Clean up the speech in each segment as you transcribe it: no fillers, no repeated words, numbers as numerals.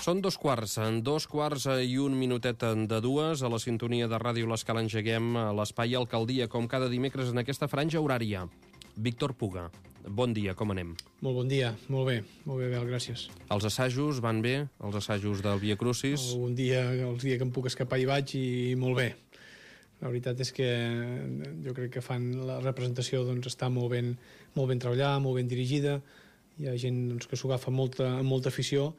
Són dos quarts i un minutet de dues. A la sintonia de Ràdio L'Escala engeguem l'espai Alcaldia, com cada dimecres en aquesta franja horària. Víctor Puga, bon dia, com anem? Molt bon dia, molt bé, Bel, gràcies. Els assajos van bé? Els assajos del Via Crucis? Un dia, els dies que em puc escapar hi vaig i molt bé. La veritat és que jo crec que fan la representació, doncs, està molt ben treballada, molt ben dirigida. Hi ha gent, doncs, que s'ho agafa amb molta afició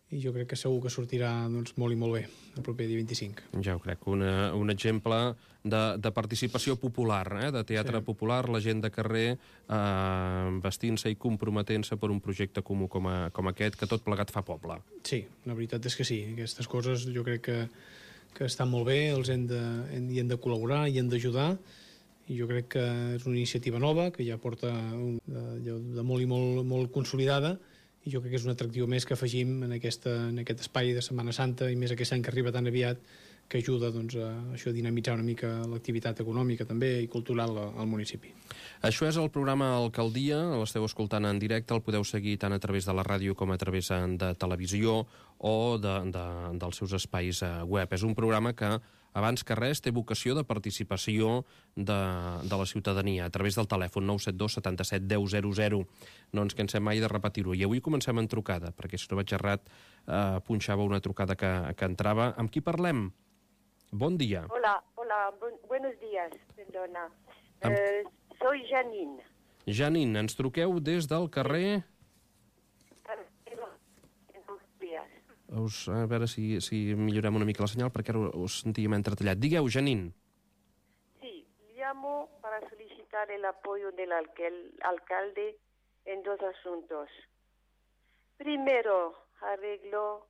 i jo crec que segur que sortirà, doncs, molt i molt bé el proper dia 25. Ja ho crec, un exemple de participació popular, de teatre popular, la gent de carrer vestint-se i comprometent-se per un projecte comú com aquest, que tot plegat fa poble. Sí, la veritat és que sí. Aquestes coses jo crec que estan molt bé, hi hem de col·laborar, hi hem d'ajudar, i jo crec que és una iniciativa nova, que ja porta de molt i molt consolidada, i jo crec que és un atractiu més que afegim en aquest espai de Setmana Santa, i més aquest any que arriba tan aviat, que ajuda, doncs, a això, a dinamitzar una mica l'activitat econòmica també i cultural al municipi. Això és el programa Alcaldia, l'esteu escoltant en directe, el podeu seguir tant a través de la ràdio com a través de televisió o dels seus espais web. És un programa que, abans que res, té vocació de participació de la ciutadania a través del telèfon 972 77 10 00. No ens cansem mai de repetir-ho. I avui comencem en trucada, perquè si no vaig errat punxava una trucada que entrava. Amb qui parlem? Bon dia. Hola, buenos días, perdona. Soy Janine. Janine, ens truqueu des del carrer... A veure si millorem una mica la senyal, perquè ara us sentíem entretallat. Digueu, Janine. Sí, llamo para solicitar el apoyo del alcalde en dos asuntos. Primero, arreglo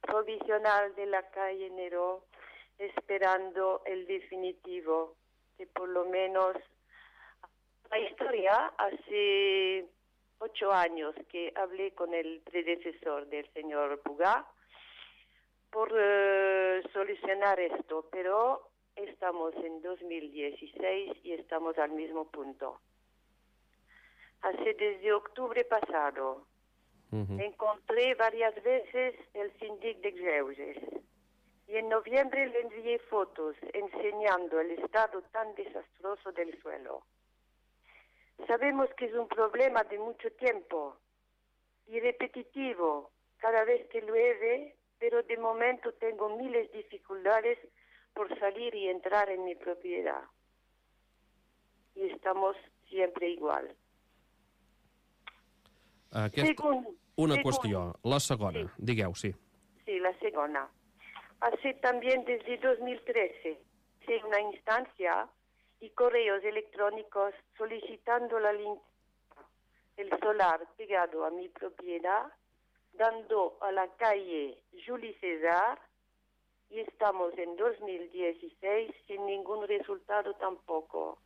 provisional de la calle Neró, esperando el definitivo, que por lo menos la historia hace 8 años que hablé con el predecesor del señor Puga por solucionar esto, pero estamos en 2016 y estamos al mismo punto. Desde octubre pasado encontré varias veces el síndic de Greuges y en noviembre le envié fotos enseñando el estado tan desastroso del suelo. Sabemos que es un problema de mucho tiempo y repetitivo cada vez que llueve, pero de momento tengo miles de dificultades por salir y entrar en mi propiedad. Y estamos siempre igual. Una qüestió. La segona, sí. Digueu, sí. Sí, la segunda. Hace también desde 2013 una instancia y correos electrónicos solicitando la limpieza del solar pegado a mi propiedad, dando a la calle Julio César, y estamos en 2016 sin ningún resultado tampoco.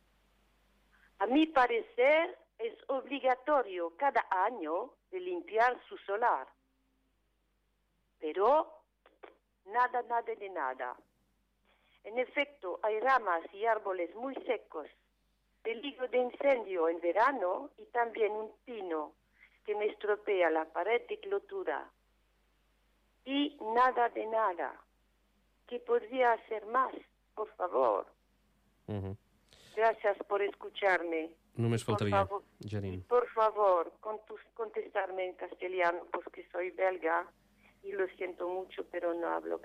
A mi parecer es obligatorio cada año de limpiar su solar, pero nada de nada. En efecto, hay ramas y árboles muy secos, peligro de incendio en verano y también un pino que me estropea la pared de clotura. Y nada de nada. ¿Qué podría hacer más, por favor? Gracias por escucharme. Només faltaria, Janine. Por favor, contestarme en castellano, porque soy belga. Y lo siento mucho, pero no hablo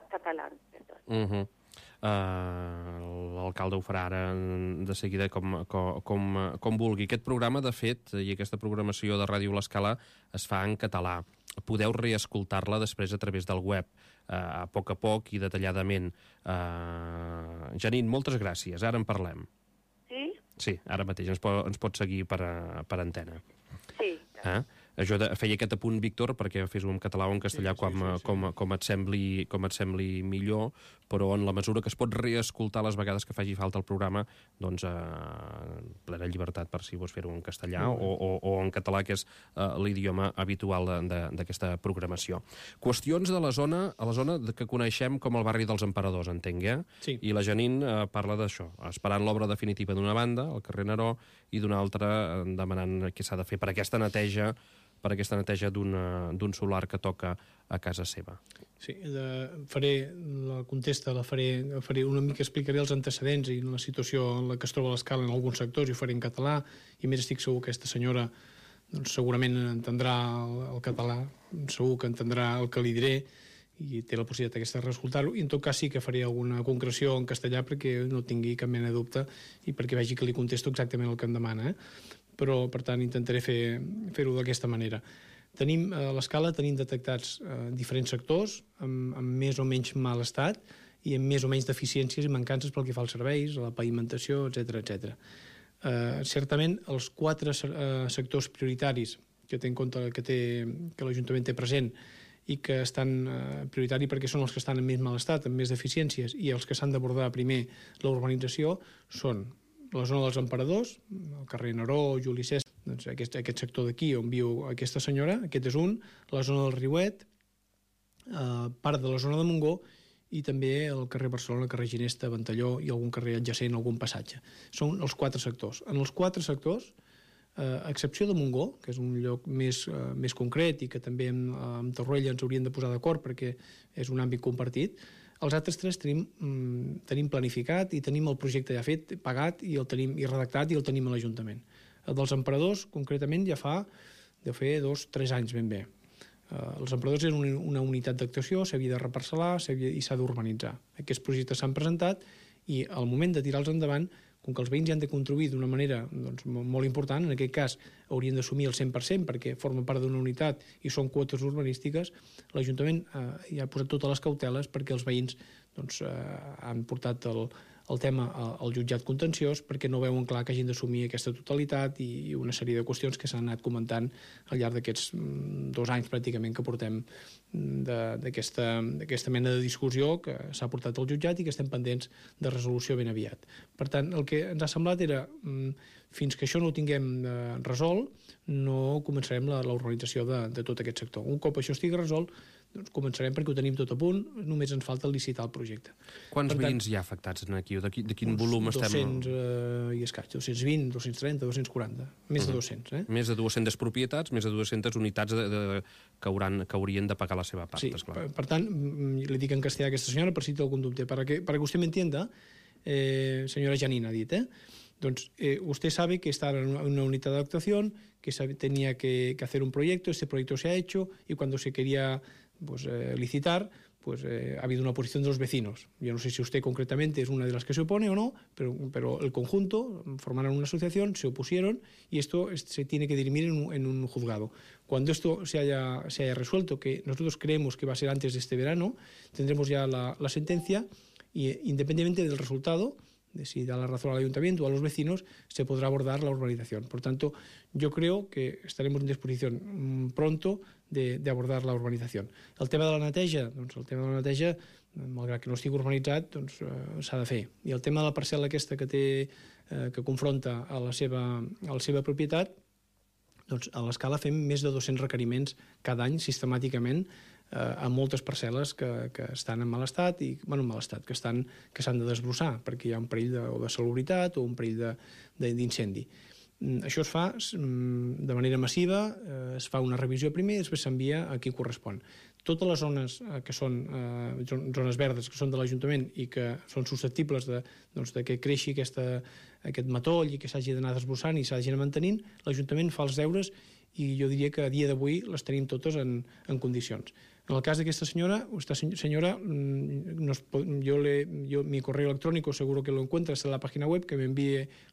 catalán. Perdón. L'alcalde ho farà ara de seguida com vulgui. Aquest programa, de fet, i aquesta programació de Ràdio L'Escala es fa en català. Podeu reescoltar-la després a través del web, a poc i detalladament. Janine, moltes gràcies. Ara en parlem. Sí? Sí, ara mateix. Ens pot seguir per antena. Sí. Jo feia aquest apunt, Víctor, perquè fes-ho en català o en castellà com et sembli millor, però en la mesura que es pot reescoltar les vegades que faci falta el programa, doncs plena llibertat per si vols fer-ho en castellà o en català, que és l'idioma habitual d'aquesta programació. Qüestions de la zona que coneixem com el barri dels Emperadors, entenc, Sí. I la Janine parla d'això, esperant l'obra definitiva d'una banda, al carrer Neró, i d'una altra demanant què s'ha de fer per aquesta neteja per aquesta neteja d'un solar que toca a casa seva. Sí, faré una mica, explicaré els antecedents i la situació en la que es troba l'Escala en alguns sectors, i ho faré en català, i a més estic segur que aquesta senyora doncs, segurament entendrà el català, segur que entendrà el que li diré, i té la possibilitat aquesta de reescoltar-ho, i en tot cas sí que faré alguna concreció en castellà perquè no tingui cap mena de dubte i perquè vegi que li contesto exactament el que em demana, però per tant intentaré fer-ho d'aquesta manera. A l'Escala tenim detectats diferents sectors amb més o menys mal estat i amb més o menys deficiències i mancances pel que fa als serveis, a la pavimentació, etc. Certament, els 4 sectors prioritaris que té en compte que l'Ajuntament té present i que estan prioritaris perquè són els que estan en més mal estat, amb més deficiències, i els que s'han d'abordar primer la urbanització són la zona dels Emperadors, el carrer Neró, Juli Cèsar, doncs aquest sector d'aquí on viu aquesta senyora, aquest és un, la zona del Riuet, part de la zona de Montgó, i també el carrer Barcelona, el carrer Ginesta, Ventalló i algun carrer adjacent, algun passatge. Són els 4 sectors. En els 4 sectors, a excepció de Montgó, que és un lloc més concret i que també amb Torroella ens hauríem de posar d'acord perquè és un àmbit compartit, els altres 3 tenim planificat i tenim el projecte ja fet, pagat i redactat i el tenim a l'Ajuntament. El dels Emperadors, concretament, ja deu fer 2-3 anys ben bé. Els Emperadors eren una unitat d'actuació, s'havia de reparcel·lar i s'ha d'urbanitzar. Aquests projectes s'han presentat i al moment de tirar-los endavant, com que els veïns hi han de contribuir d'una manera molt important, en aquest cas haurien d'assumir el 100% perquè formen part d'una unitat i són quotes urbanístiques, l'Ajuntament ja ha posat totes les cauteles perquè els veïns han portat el tema al jutjat contenciós perquè no veuen clar que hagin d'assumir aquesta totalitat i una sèrie de qüestions que s'han anat comentant al llarg d'aquests 2 anys pràcticament que portem d'aquesta mena de discussió que s'ha portat al jutjat i que estem pendents de resolució ben aviat. Per tant, el que ens ha semblat era, fins que això no ho tinguem resolt, no començarem la urbanització de tot aquest sector. Un cop això estigui resolt, doncs començarem perquè ho tenim tot a punt, només ens falta licitar el projecte. Quants veïns hi ha afectats aquí? De quin volum estem? 200 i escaig, 220, 230, 240, més de 200. Més de 200 propietats, més de 200 unitats que haurien de pagar la seva part, sí, esclar. Per tant, li dic en castellà a aquesta senyora per si té algun dubte. Para que usted me entienda, señora Janina ha dit, Entonces, usted sabe que está en una unidad de actuación, que tenía que hacer un proyecto, este proyecto se ha hecho y cuando se quería licitar, ha habido una oposición de los vecinos. Yo no sé si usted concretamente es una de las que se opone o no, pero el conjunto formaron una asociación, se opusieron y esto se tiene que dirimir en un juzgado. Cuando esto se haya resuelto, que nosotros creemos que va a ser antes de este verano, tendremos ya la sentencia y independientemente del resultado, de si da la razón al ayuntamiento o a los vecinos, se podrá abordar la urbanización. Por tanto, yo creo que estaremos en disposición pronto de abordar la urbanización. El tema de la neteja, malgrat que no estigui urbanitzat, s'ha de fer. I el tema de la parcel·la aquesta que confronta a la seva propietat, a l'Escala fem més de 200 requeriments cada any sistemàticament a moltes parcel·les que estan en mal estat, que s'han de desbrossar perquè hi ha un perill de salubritat o un perill d'incendi. Això es fa de manera massiva, es fa una revisió primer i després s'envia a qui correspon. Totes les zones que són zones verdes, que són de l'Ajuntament i que són susceptibles que creixi aquest matoll i que s'hagi d'anar desbrossant i s'hagi d'anar mantenint, l'Ajuntament fa els deures i jo diria que a dia d'avui les tenim totes en condicions. En el cas de esta señora, mi correo electrónico seguro que lo encuentras en la página web,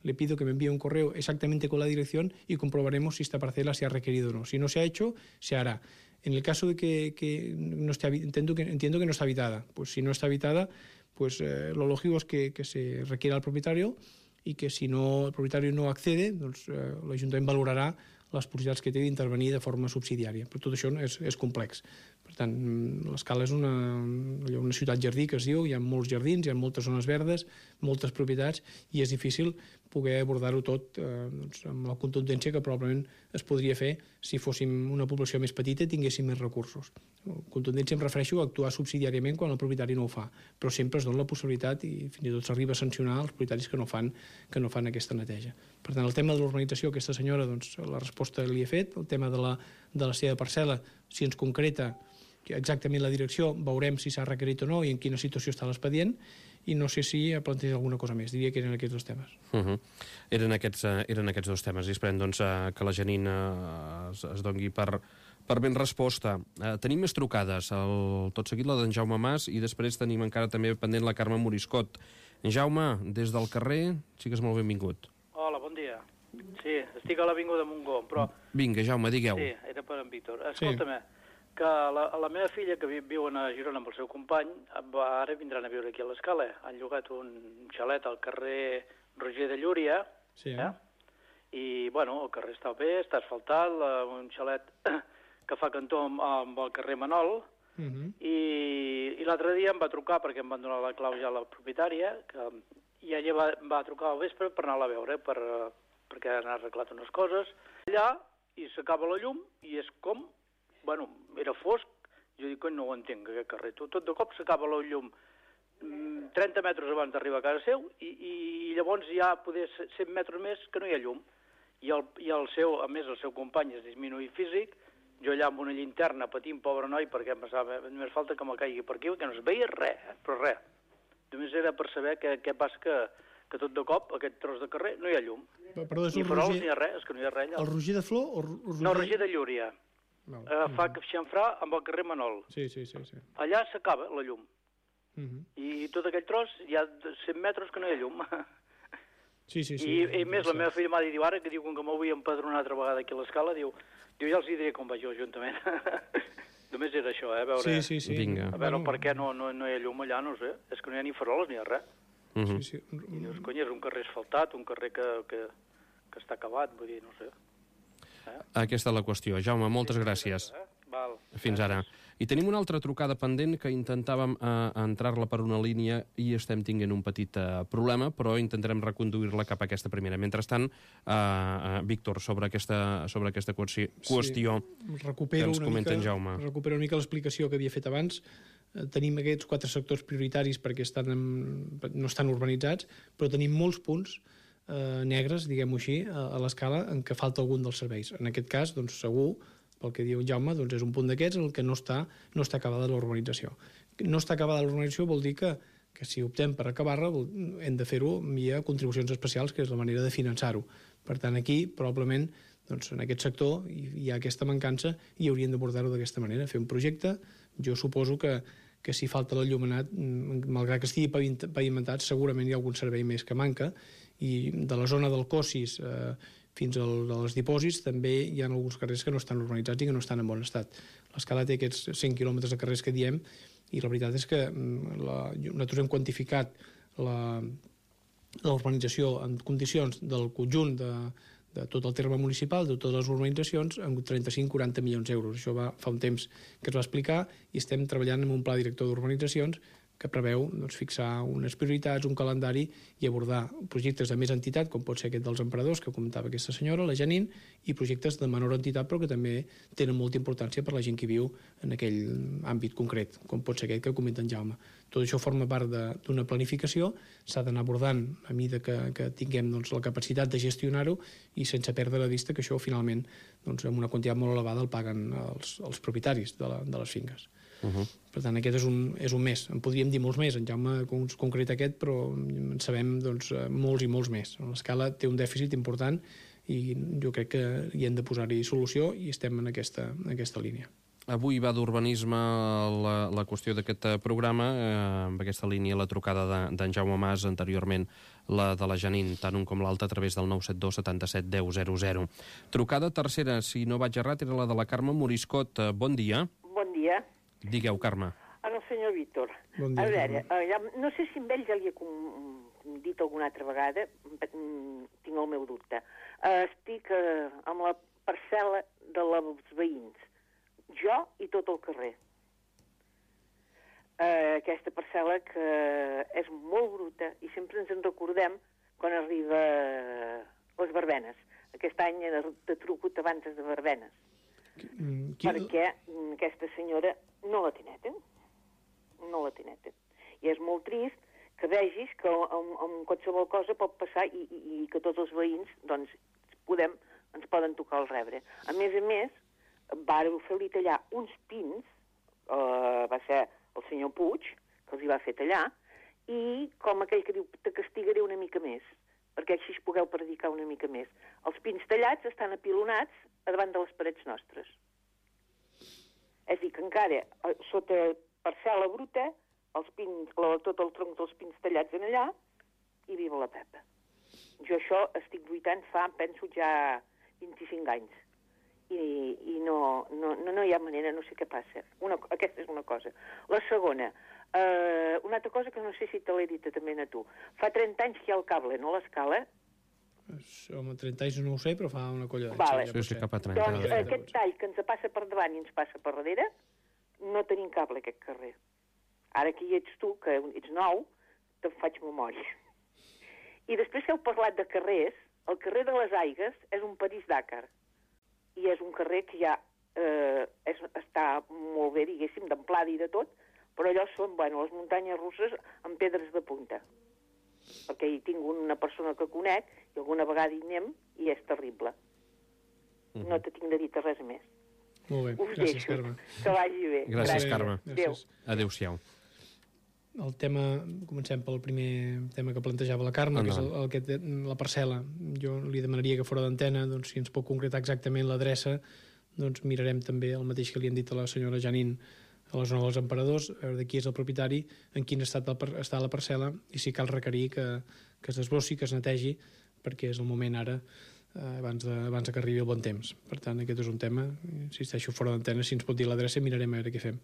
le pido que me envíe un correo exactamente con la dirección y comprobaremos si esta parcela se ha requerido o no. Si no se ha hecho, se hará. En el caso de que no esté, entiendo que no está habitada, pues si no está habitada, pues lo lógico es que se requiera al propietario y que si el propietario no accede, doncs l'Ajuntament valorarà les possibilitats que té d'intervenir de forma subsidiària. Però tot això és complex. Per tant, l'Escala és una ciutat jardí que es diu, hi ha molts jardins, hi ha moltes zones verdes, moltes propietats i és difícil poder abordar-ho tot amb la contundència que probablement es podria fer si fóssim una població més petita i tinguéssim més recursos. Contundència em refereixo a actuar subsidiàriament quan el propietari no ho fa, però sempre es dona la possibilitat i fins i tot s'arriba a sancionar els propietaris que no fan aquesta neteja. Per tant, el tema de l'urbanització, aquesta senyora, doncs, la resposta li he fet. El tema de la seva parcel·la, si ens concreta exactament la direcció, veurem si s'ha requerit o no i en quina situació està l'expedient, i no sé si planteja alguna cosa més. Diria que eren aquests dos temes. Eren aquests dos temes, i esperem doncs, que la Janine es doni per ben resposta. Tenim més trucades, tot seguit la d'en Jaume Mas, i després tenim encara també pendent la Carme Moriscot. En Jaume, des del carrer, sigues molt benvingut. Hola, bon dia. Sí, estic a l'Avinguda Montgó, però... Vinga, Jaume, digueu. Sí, era per en Víctor. Escolta-me, que la meva filla, que viu a Girona amb el seu company, ara vindran a viure aquí a l'Escala. Han llogat un xalet al carrer Roger de Llúria, i, bueno, el carrer està bé, està asfaltat, un xalet que fa cantó amb el carrer Manol, i l'altre dia em va trucar, perquè em van donar la clau ja a la propietària, i ella va trucar al vespre per anar-la a veure, perquè han arreglat unes coses. Allà, i s'acaba la llum, i és com... Bueno, era fosc, jo dic que no ho entenc, aquest carrer. Tot de cop s'acaba la llum 30 metres abans d'arribar a casa seu, i llavors ja poder 100 metres més que no hi ha llum. I a més el seu company és disminuït físic, jo allà amb una llinterna patint, pobre noi, perquè em pensava, només falta que me caigui per aquí, que no es veia res, però res. Només era per saber què passa que tot de cop, aquest tros de carrer, no hi ha llum. Ni farols ni res, és que no hi ha res allà. El Roger de Flor o No, Roger de Llúria. Fa xamfrà amb el carrer Manol. Sí. Allà s'acaba la llum. I tot aquell tros hi ha 100 metres que no hi ha llum. Sí. I més, la meva filla m'ha dit ara, que diu que m'ho vull empadronar una altra vegada aquí a l'escala, diu, ja els diré com vaig a l'Ajuntament. Només era això, a veure... Sí. Vinga. A veure per què no hi ha llum allà, no sé. És que no hi ha ni faroles ni res. Sí. I dius, cony, és un carrer asfaltat, un carrer que està acabat, vull dir, no sé. Aquesta és la qüestió. Jaume, moltes gràcies. Val. Fins ara. I tenim una altra trucada pendent que intentàvem entrar-la per una línia i estem tinguent un petit problema, però intentarem reconduir-la cap a aquesta primera. Mentrestant, Víctor, sobre aquesta qüestió que ens comenta en Jaume. Recupero una mica l'explicació que havia fet abans. Tenim aquests 4 sectors prioritaris perquè no estan urbanitzats, però tenim molts punts negres, diguem-ho així, a l'escala en què falta algun dels serveis. En aquest cas, doncs, segur, pel que diu Jaume, doncs és un punt d'aquests en el que no està acabada la urbanització. No està acabada la urbanització vol dir que si optem per acabar-la hem de fer-ho via contribucions especials, que és la manera de finançar-ho. Per tant, aquí, probablement, doncs, en aquest sector hi ha aquesta mancança i hauríem d'abordar-ho d'aquesta manera, fer un projecte. Jo suposo que si falta l'enllumenat, malgrat que estigui pavimentat, segurament hi ha algun servei més que manca, i de la zona del Cossis fins als dipòsits també hi ha alguns carrers que no estan urbanitzats i que no estan en bon estat. L'Escala té aquests 100 quilòmetres de carrers que diem, i la veritat és que nosaltres hem quantificat la urbanització en condicions del conjunt de tot el terme municipal, de totes les urbanitzacions, en 35-40 milions d'euros. Això fa un temps que es va explicar i estem treballant en un pla director d'urbanitzacions que preveu fixar unes prioritats, un calendari i abordar projectes de més entitat, com pot ser aquest dels emprenedors que comentava aquesta senyora, la Janine, i projectes de menor entitat però que també tenen molta importància per la gent que viu en aquell àmbit concret, com pot ser aquest que comenta en Jaume. Tot això forma part d'una planificació, s'ha d'anar abordant a mesura que tinguem la capacitat de gestionar-ho i sense perdre de vista que això finalment amb una quantitat molt elevada el paguen els propietaris de les finques. Per tant, aquest és un mes. En podríem dir molts més, en Jaume concreta aquest, però en sabem molts i molts més. L'Escala té un dèficit important i jo crec que hi hem de posar-hi solució i estem en aquesta línia. Avui va d'urbanisme la qüestió d'aquest programa, amb aquesta línia la trucada d'en Jaume Mas, anteriorment la de la Janine, tant un com l'altre, a través del 972 77 10 00. Trucada tercera, si no vaig errat, era la de la Carme Moriscot. Bon dia. Bon dia. Digueu, Carme. El senyor Víctor. Bon dia, a veure, no sé si amb ell ja li he dit alguna altra vegada, tinc el meu dubte. Estic amb la parcel·la dels veïns, jo i tot el carrer. aquesta parcel·la que és molt bruta i sempre ens en recordem quan arriba les verbenes. Aquest any he de trucut abans de verbenes. Perquè aquesta senyora no la tineten. No la tineten. I és molt trist que vegis que amb qualsevol cosa pot passar i que tots els veïns doncs, ens poden tocar el rebre. A més, vàreu fer-li tallar uns pins, va ser el senyor Puig, que els hi va fer tallar, i com aquell que diu, te castigaré una mica més, perquè així pugueu predicar una mica més. Els pins tallats estan apilonats a davant de les parets nostres. És a dir, que encara, sota parcel·la bruta, els pins, tot el tronc dels pins tallats en allà, i viva la Pepa. Jo això estic lluitant penso ja 25 anys. I no hi ha manera, no sé què passa. Aquesta és una cosa. La segona, una altra cosa que no sé si te l'he dit també a tu. Fa 30 anys que hi ha el cable, no l'escala? Home, 30 anys no ho sé, però fa una colla d'anys. Vale. Sí, cap a 30. Doncs aquest tall que ens passa per davant i ens passa per darrere, no tenim cable aquest carrer. Ara que hi ets tu, que ets nou, te'n faig memòria. I després que heu parlat de carrers, el carrer de les Aigues és un París-Dakar. I és un carrer que ja està molt bé, diguéssim, d'amplada i de tot, però allò són, les muntanyes russes amb pedres de punta. Perquè hi tinc una persona que conec i alguna vegada hi anem i és terrible. No te tinc de dir res més. Molt bé, gràcies, Carme. Que vagi bé. Gràcies, Carme. Adéu. Adéu-siau. El tema, comencem pel primer tema que plantejava la Carme, que és la parcel·la. Jo li demanaria que fora d'antena, doncs, si ens pot concretar exactament l'adreça, doncs mirarem també el mateix que li han dit a la senyora Janín a la zona dels Emperadors, a veure de qui és el propietari, en quin estat està la parcel·la i si cal requerir que es desbrossi, que es netegi, perquè és el moment ara, abans de que arribi el bon temps. Per tant, aquest és un tema, insisteixo, fora d'antena, si ens pot dir l'adreça mirarem a veure què fem.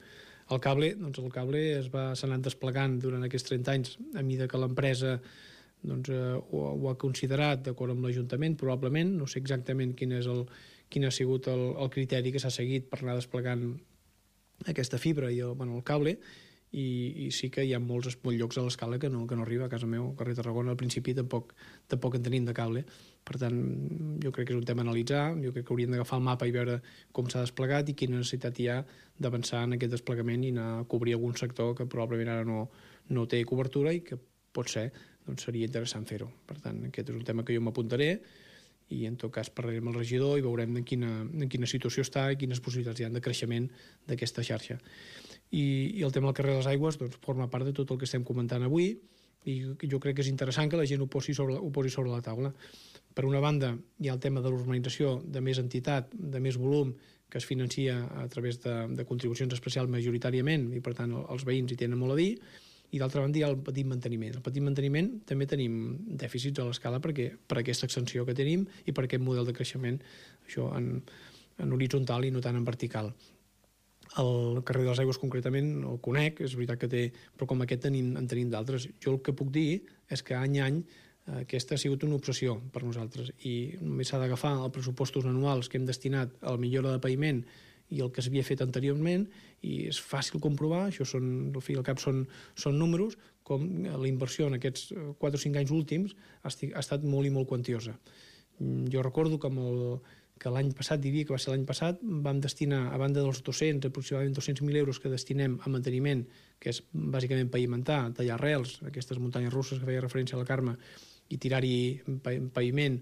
El cable s'ha anat desplegant durant aquests 30 anys a mesura que l'empresa ho ha considerat d'acord amb l'Ajuntament, probablement, no sé exactament quin ha sigut el criteri que s'ha seguit per anar desplegant aquesta fibra i el cable, i sí que hi ha molts llocs a l'escala que no arriba. A casa meu, al carrer Tarragona, al principi tampoc en tenim de cable. Per tant, jo crec que és un tema a analitzar, jo crec que hauríem d'agafar el mapa i veure com s'ha desplegat i quina necessitat hi ha d'avançar en aquest desplegament i anar a cobrir algun sector que probablement ara no té cobertura i que potser seria interessant fer-ho. Per tant, aquest és un tema que jo m'apuntaré i en tot cas parlarem amb el regidor i veurem en quina situació està i quines possibilitats hi ha de creixement d'aquesta xarxa. I el tema del carrer de les Aigües forma part de tot el que estem comentant avui i jo crec que és interessant que la gent ho posi sobre la taula. Per una banda, hi ha el tema de l'urbanització de més entitat, de més volum, que es financia a través de contribucions especials majoritàriament i, per tant, els veïns hi tenen molt a dir, i d'altra banda hi ha el petit manteniment. El petit manteniment també tenim dèficits a l'escala per aquesta extensió que tenim i per aquest model de creixement, això en horitzontal i no tant en vertical. El carrer de les Aigües concretament el conec, és veritat que té, però com aquest en tenim d'altres. Jo el que puc dir és que any a any aquesta ha sigut una obsessió per nosaltres i només s'ha d'agafar els pressupostos anuals que hem destinat a la millora de paviment i el que s'havia fet anteriorment i és fàcil comprovar, això al cap són números, com la inversió en aquests 4 o 5 anys últims ha estat molt i molt quantiosa. Jo recordo que l'any passat, diria que va ser l'any passat, vam destinar, a banda dels aproximadament 200.000 euros que destinem a manteniment, que és bàsicament pavimentar, tallar arrels, aquestes muntanyes russes que feia referència a la Carme, i tirar-hi paviment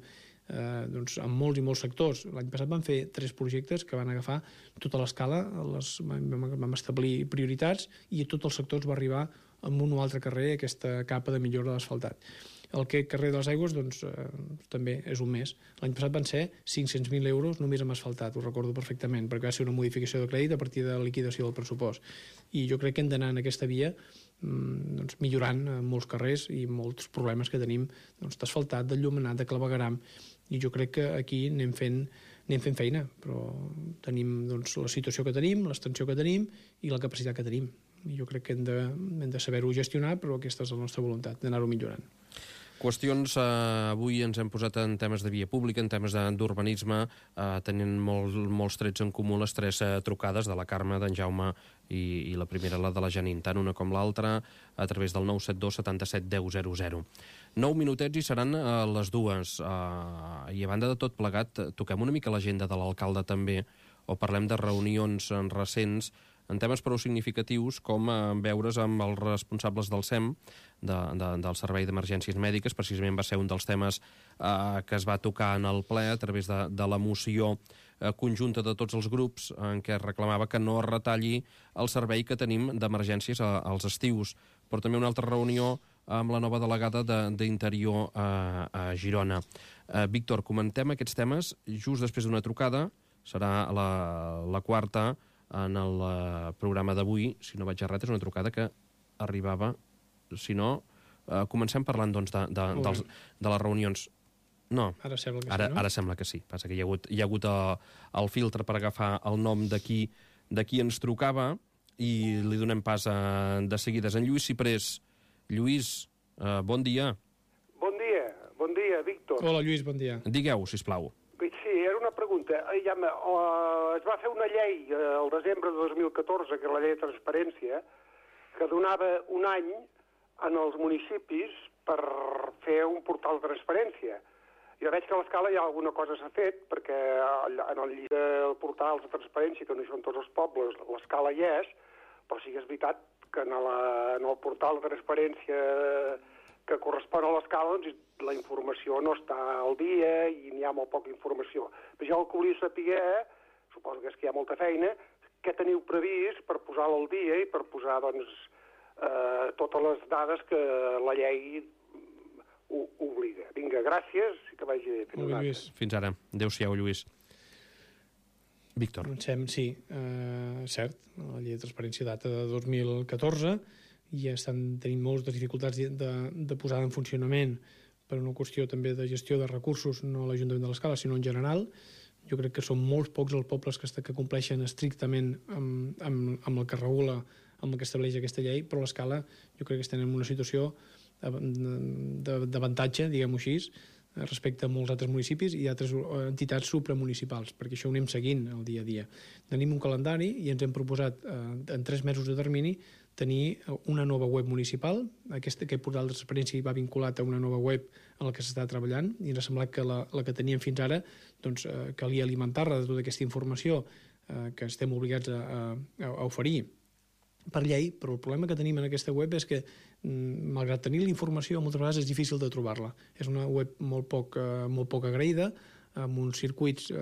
en molts i molts sectors. L'any passat vam fer 3 projectes que van agafar tota l'escala, vam establir prioritats i a tots els sectors va arribar en un o altre carrer aquesta capa de millora de l'asfaltat. El carrer de les Aigües també és un mes. L'any passat van ser 500.000 euros només amb asfaltat, ho recordo perfectament, perquè va ser una modificació de crèdit a partir de la liquidació del pressupost. I jo crec que hem d'anar en aquesta via millorant molts carrers i molts problemes que tenim d'asfaltat, d'enllumenat, de clavegueram, i jo crec que aquí anem fent feina, però tenim la situació que tenim, l'extensió que tenim i la capacitat que tenim. I jo crec que hem de saber-ho gestionar, però aquesta és la nostra voluntat, d'anar-ho millorant. Qüestions, avui ens hem posat en temes de via pública, en temes d'urbanisme, tenint molts trets en comú les tres trucades de la Carme, d'en Jaume i la primera, la de la Janine, tant una com l'altra, a través del 972 77 10 00. 9 minutets i seran les dues. I a banda de tot plegat, toquem una mica l'agenda de l'alcalde també, o parlem de reunions recents en temes prou significatius com veure's amb els responsables del SEM, del Servei d'Emergències Mèdiques. Precisament va ser un dels temes que es va tocar en el ple a través de la moció conjunta de tots els grups en què es reclamava que no es retalli el servei que tenim d'emergències als estius. Però també una altra reunió amb la nova delegada d'Interior a Girona. Víctor, comentem aquests temes just després d'una trucada. Serà la quarta en el programa d'avui. Si no vaig errat, és una trucada que arribava. Si no, comencem parlant doncs, de les reunions. No, ara sembla que sí, no? Ara sembla que sí. Passa que hi ha hagut el filtre per agafar el nom de qui ens trucava i li donem pas de seguides. En Lluís Ciprés. Lluís, bon dia. Bon dia, Víctor. Hola, Lluís, bon dia. Digueu, sisplau. Sí, era una pregunta. Es va fer una llei al desembre de 2014, que és la llei de transparència, que donava un any als municipis per fer un portal de transparència. Jo veig que a l'Escala ja alguna cosa s'ha fet, perquè en el llibre del portal de transparència, que no hi són tots els pobles, l'Escala hi és, però sí que és veritat que en el portal de transparència que correspon a l'Escala, doncs la informació no està al dia i n'hi ha molt poca informació. Però jo el que volia saber, suposo que és que hi ha molta feina, què teniu previst per posar-la al dia i per posar, doncs, totes les dades que la llei obliga. Vinga, gràcies i que vagi bé. Fins ara. Adéu-siau, Lluís. Víctor. Sí, cert, la llei de transparència data de 2014 i estan tenint moltes dificultats de posar en funcionament per una qüestió també de gestió de recursos, no a l'Ajuntament de l'Escala, sinó en general. Jo crec que són molts pocs els pobles que compleixen estrictament amb el que regula, amb el que estableix aquesta llei, però l'Escala jo crec que estem en una situació d'avantatge, diguem-ho així, respecte a molts altres municipis i altres entitats supramunicipals, perquè això ho anem seguint el dia a dia. Tenim un calendari i ens hem proposat en 3 mesos de termini tenir una nova web municipal. Aquest portal de transparència va vinculat a una nova web en la que s'està treballant i ens ha semblat que la que teníem fins ara doncs, calia alimentar-la de tota aquesta informació que estem obligats a oferir per llei, però el problema que tenim en aquesta web és que, malgrat tenir la informació, moltes vegades és difícil de trobar-la. És una web molt poc agraïda, amb uns circuits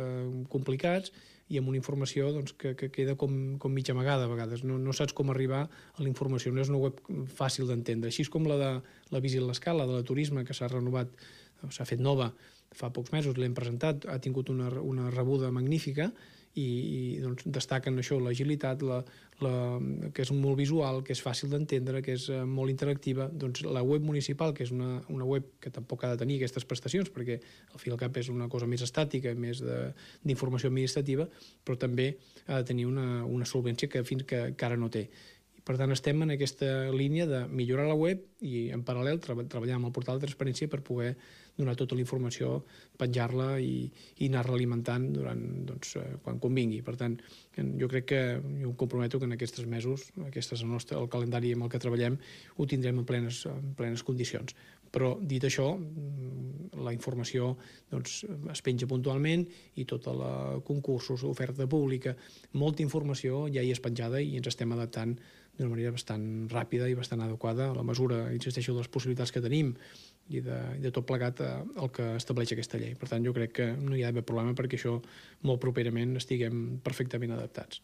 complicats i amb una informació doncs, que queda com mig amagada a vegades. No saps com arribar a la informació, no és una web fàcil d'entendre. Així com la de la Visit l'Escala, de la turisme, que s'ha renovat, s'ha fet nova fa pocs mesos, l'hem presentat, ha tingut una rebuda magnífica i doncs, destaquen això, l'agilitat, que és molt visual, que és fàcil d'entendre, que és molt interactiva. Doncs la web municipal, que és una web que tampoc ha de tenir aquestes prestacions, perquè al fi i al cap és una cosa més estàtica, més d'informació administrativa, però també ha de tenir una solvència que fins que ara no té. Per tant, estem en aquesta línia de millorar la web i, en paral·lel, treballar amb el portal de transparència per poder donar tota la informació, penjar-la i anar-la alimentant quan convingui. Per tant, jo crec que jo em comprometo que en aquests 3 mesos, aquest és el calendari amb el que treballem, ho tindrem en plenes condicions. Però, dit això, la informació es penja puntualment i tota la concursos, oferta pública, molta informació ja hi és penjada i ens estem adaptant d'una manera bastant ràpida i bastant adequada a la mesura, insisteixo, de les possibilitats que tenim i de tot plegat el que estableix aquesta llei. Per tant, jo crec que no hi ha d'haver problema perquè això molt properament estiguem perfectament adaptats.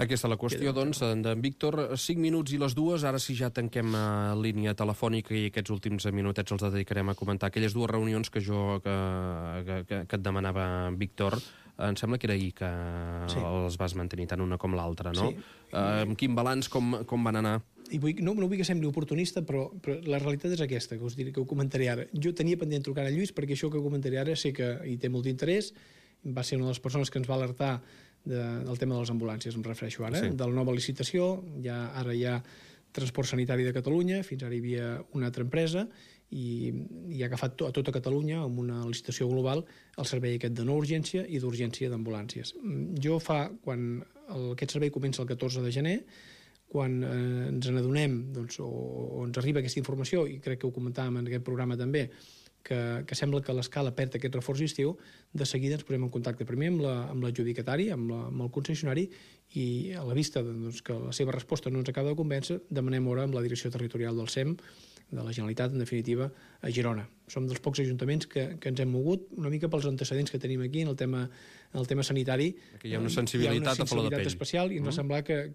Aquesta és la qüestió, doncs, d'en Víctor. 5 minuts i les 2, ara sí ja tanquem línia telefònica i aquests últims minutets els dedicarem a comentar aquelles 2 reunions que et demanava Víctor. Em sembla que era ahir que els vas mantenir tant una com l'altra, no? Sí. Amb quin balanç, com van anar? I no vull que sembli oportunista, però la realitat és aquesta, que us diré, que ho comentaré ara. Jo tenia pendent trucar a Lluís perquè això que comentaré ara sé que hi té molt d'interès, va ser una de les persones que ens va alertar del tema de les ambulàncies, em refereixo ara, de la nova licitació. Ara hi ha Transport Sanitari de Catalunya, fins ara hi havia una altra empresa, i ha agafat a tota Catalunya amb una licitació global el servei aquest de no urgència i d'urgència d'ambulàncies. Quan aquest servei comença el 14 de gener, quan ens n'adonem o ens arriba aquesta informació, i crec que ho comentàvem en aquest programa també, que sembla que l'Escala perd aquest reforç d'estiu, de seguida ens posem en contacte primer amb l'adjudicatari, amb el concessionari, i a la vista que la seva resposta no ens acaba de convèncer, demanem hora amb la direcció territorial del SEM, de la Generalitat, en definitiva, a Girona. Som dels pocs ajuntaments que ens hem mogut, una mica pels antecedents que tenim aquí en el tema sanitari. Hi ha una sensibilitat a flor de pell. Especial, i ens va semblar que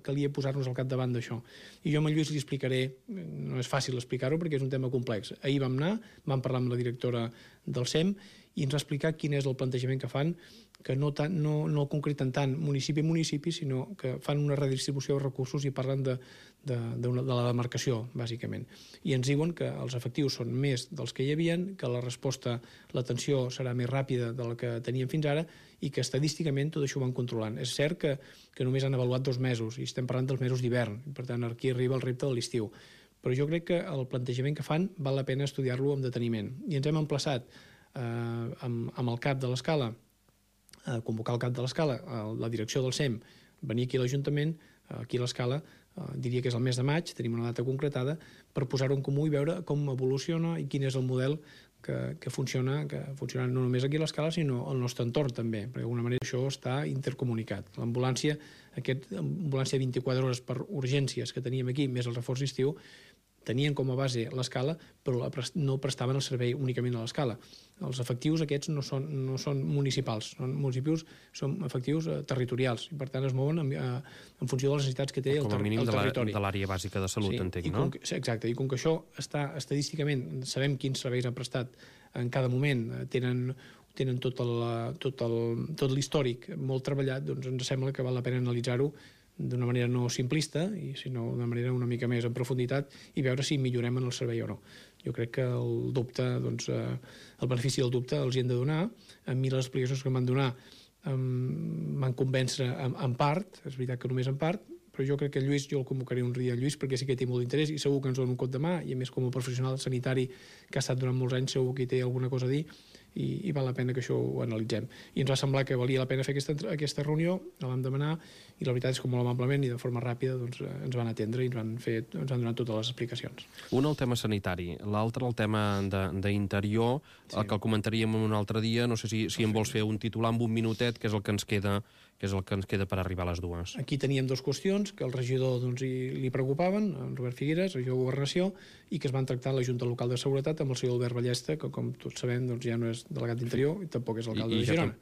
calia posar-nos al capdavant d'això. I jo amb el Lluís li explicaré, no és fàcil explicar-ho perquè és un tema complex. Ahir vam anar, vam parlar amb la directora del SEM i ens va explicar quin és el plantejament que fan, que no concreten tant municipi a municipi, sinó que fan una redistribució de recursos i parlen de la demarcació, bàsicament. I ens diuen que els efectius són més dels que hi havien, que la resposta, l'atenció serà més ràpida de la que teníem fins ara i que estadísticament tot això ho van controlant. És cert que només han avaluat 2 mesos i estem parlant dels mesos d'hivern, i per tant aquí arriba el repte de l'estiu. Però jo crec que el plantejament que fan val la pena estudiar-lo amb deteniment. I ens hem emplaçat amb el cap de l'Escala, convocar el cap de l'Escala, la direcció del SEM, venir aquí a l'Ajuntament, aquí a l'Escala, diria que és el mes de maig, tenim una data concretada, per posar-ho en comú i veure com evoluciona i quin és el model que funciona no només aquí a l'Escala, sinó al nostre entorn també, perquè d'alguna manera això està intercomunicat. L'ambulància, ambulància 24 hores per urgències que teníem aquí, més el reforç d'estiu, tenien com a base l'Escala, però no prestaven el servei únicament a l'Escala. Els efectius aquests no són municipals, són efectius territorials, i per tant es mouen en funció de les necessitats que té el territori. Com a mínim de l'àrea bàsica de salut, entenc, no? Exacte, i com que això està estadísticament, sabem quins serveis han prestat en cada moment, tenen tot l'històric molt treballat, doncs ens sembla que val la pena analitzar-ho d'una manera no simplista, sinó d'una manera una mica més en profunditat i veure si millorem en el servei o no. Jo crec que el dubte, el benefici del dubte els hi hem de donar. A mi les explicacions que em van donar m'han convèncer en part, és veritat que només en part, però jo crec que Lluís, jo el convocaré un dia a Lluís perquè sí que té molt d'interès i segur que ens dona un cop de mà, i a més com a professional sanitari que ha estat durant molts anys segur que hi té alguna cosa a dir, i val la pena que això ho analitzem. I ens va semblar que valia la pena fer aquesta reunió, la vam demanar, i la veritat és que molt amablement i de forma ràpida ens van atendre i ens han donat totes les explicacions. Un el tema sanitari, l'altre el tema d'interior, el que el comentaríem un altre dia, no sé si em vols fer un titular amb un minutet, que és el que ens queda per arribar a les dues. Aquí teníem 2 qüestions que el regidor li preocupaven, en Robert Figueres, regidor de Governació, i que es van tractar a la Junta Local de Seguretat amb el senyor Albert Ballesta, que com tots sabem ja no és delegat d'Interior i tampoc és l'alcalde de Girona.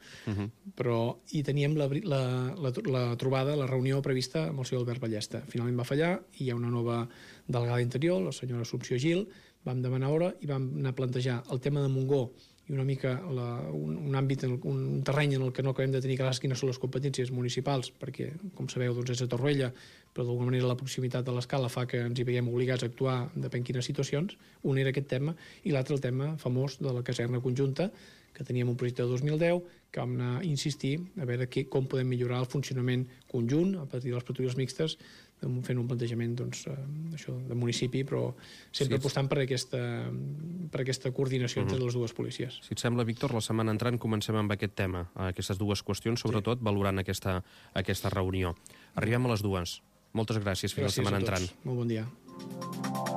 Però hi teníem la trobada, la reunió prevista amb el senyor Albert Ballesta. Finalment va fallar i hi ha una nova delegada d'Interior, la senyora Assumpció Gil, vam demanar hora i vam anar a plantejar el tema de Montgó i una mica un àmbit, un terreny en el que no acabem de tenir clares quines són les competències municipals, perquè, com sabeu, és a Torroella, però d'alguna manera la proximitat de l'Escala fa que ens hi veiem obligats a actuar depèn quines situacions. Un era aquest tema, i l'altre el tema famós de la caserna conjunta, que teníem un projecte de 2010, que vam anar a insistir a veure com podem millorar el funcionament conjunt a partir de les patrulles mixtes, fent un plantejament de municipi, però sempre apostant per aquesta coordinació entre les dues policies. Si et sembla, Víctor, la setmana entrant comencem amb aquest tema, aquestes dues qüestions, sobretot valorant aquesta reunió. Arribem a les dues. Moltes gràcies. Fins la setmana entrant. Molt bon dia.